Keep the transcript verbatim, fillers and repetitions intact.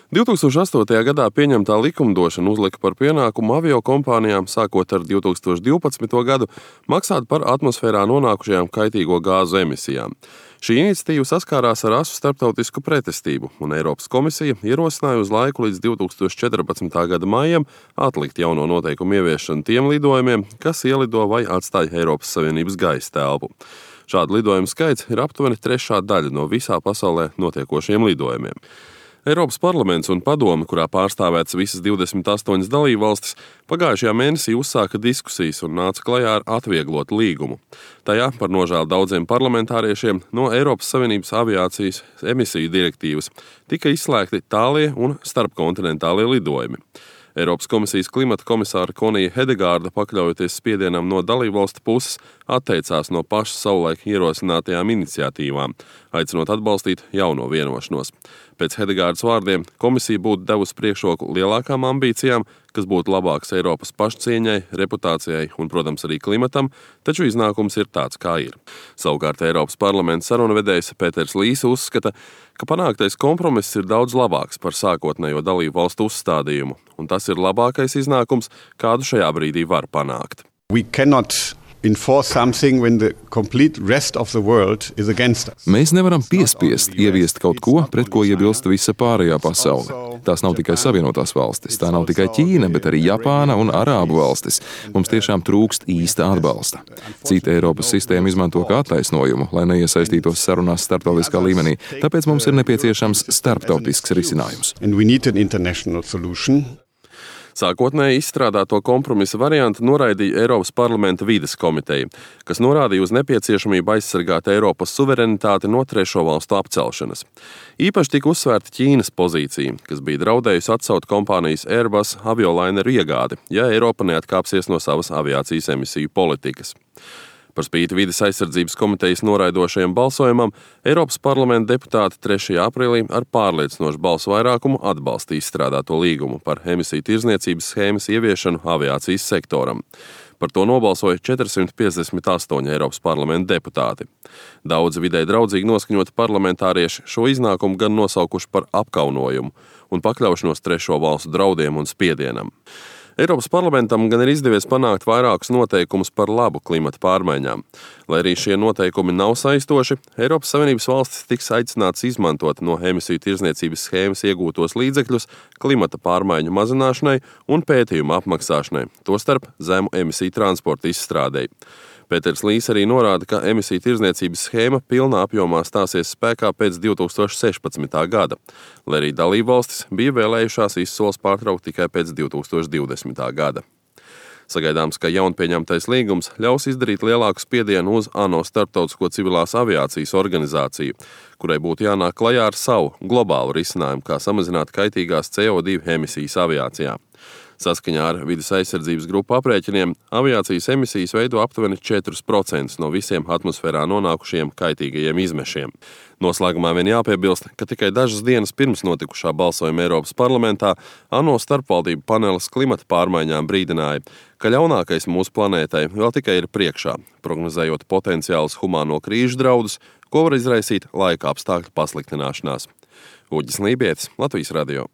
divtūkstoš astotajā gadā pieņemtā likumdošana uzlika par pienākumu aviokompānijām sākot ar divtūkstoš divpadsmito gadu maksāt par atmosfērā nonākušajām kaitīgo gāzu emisijām. Šī iniciatīva saskārās ar asu starptautisku pretestību, un Eiropas komisija ierosināja uz laiku līdz divtūkstoš četrpadsmitā gada maijam atlikt jauno noteikumu ieviešanu tiem lidojumiem, kas ielido vai atstāja Eiropas Savienības gaisa telpu. Šādu lidojumu skaits ir aptuveni trešā daļa no visā pasaulē notiekošiem lidojumiem. Eiropas parlaments un padome, kurā pārstāvētas visas divdesmit astoņas dalībvalstis, pagājušajā mēnesī uzsāka diskusijas un nāca klajā ar atvieglotu līgumu. Tajā par nožēlu daudziem parlamentāriešiem no Eiropas Savienības aviācijas emisiju direktīvas tika izslēgti tālie un starpkontinentālie lidojumi. Eiropas komisijas klimata komisāra Konija Hedegārda, pakļaujoties spiedienam no dalībvalstu puses, atteicās no pašas savulaik ierosinātajām iniciatīvām, aicinot atbalstīt jauno vienošanos. Pēc Hedegārdas vārdiem komisija būtu devusi priekšroku lielākām ambīcijām, kas būtu labāks Eiropas pašcieņai, reputācijai un, protams, arī klimatam, taču iznākums ir tāds, kā ir. Savukārt Eiropas parlamenta sarunvedējs Pēters Līse uzskata, ka panāktais kompromiss ir daudz labāks par sākotnējo dalību valstu uzstādījumu, un tas ir labākais iznākums, kādu šajā brīdī var panākt. We cannot enforce something when the complete rest of the world is against us. Mēs nevaram piespiest ieviest kaut ko, pret ko iebilst visa pārējā pasaule. Tās nav tikai Savienotās valstis, tā nav tikai Ķīna, bet arī Japāna un Arābu valstis. Mums tiešām trūkst īsta atbalsta. Cita Eiropas sistēma izmanto kā attaisnojumu, lai neiesaistītos sarunās starptautiskā līmenī, tāpēc mums ir nepieciešams starptautisks risinājums. And we need an international solution. Sākotnēji izstrādāto kompromisa variantu noraidīja Eiropas parlamenta vides komiteja, kas norādīja uz nepieciešamību aizsargāt Eiropas suverenitāti no trešo valstu apcelšanas. Īpaši tika uzsvērta Ķīnas pozīcija, kas bija draudējusi atcelt kompānijas Airbus aviolaineru iegādi, ja Eiropa neatkāpsies no savas aviācijas emisiju politikas. Par spīti vides aizsardzības komitejas noraidošajam balsojumam, Eiropas parlamenta deputāti trešajā aprīlī ar pārliecinošu balsu vairākumu atbalstīja izstrādāto līgumu par emisiju tirdzniecības schēmas ieviešanu aviācijas sektoram. Par to nobalsoja četrsimt piecdesmit astoņi Eiropas parlamenta deputāti. Daudzi vidē draudzīgi noskaņoti parlamentārieši šo iznākumu gan nosaukuši par apkaunojumu un pakļaušanos trešo valstu draudiem un spiedienam. Eiropas parlamentam gan ir izdevies panākt vairākus noteikumus par labu klimata pārmaiņām. Lai arī šie noteikumi nav saistoši, Eiropas Savienības valstis tiks aicināts izmantot no emisiju tirdzniecības schēmas iegūtos līdzekļus klimata pārmaiņu mazināšanai un pētījumu apmaksāšanai, tostarp zemu emisiju transporta izstrādei. Pēters Līse arī norāda, ka emisiju tirdzniecības schēma pilnā apjomā stāsies spēkā pēc divtūkstoš sešpadsmitā gada, lai arī dalībvalstis bija vēlējušās izsoles pārtraukt tikai pēc divtūkstoš divdesmitā gada. Sagaidāms, ka jaunpieņemtais līgums ļaus izdarīt lielāku spiedienu uz ANO Starptautisko civilās aviācijas organizāciju, kurai būtu jānāk klajā ar savu globālu risinājumu, kā samazināt kaitīgās C O divi emisijas aviācijā. Saskaņā ar vides aizsardzības grupu aprēķiniem, aviācijas emisijas veido aptuveni četrus procentus no visiem atmosfērā nonākušiem kaitīgajiem izmešiem. Noslēgumā vien jāpiebilst, ka tikai dažas dienas pirms notikušā balsojuma Eiropas parlamentā ANO starpvaldību panelis klimata pārmaiņām brīdināja, ka ļaunākais mūsu planētai vēl tikai ir priekšā, prognozējot potenciālus humāno krīžu draudus, ko var izraisīt laika apstākļu pasliktināšanās. Uģis Lībietis, Latvijas radio.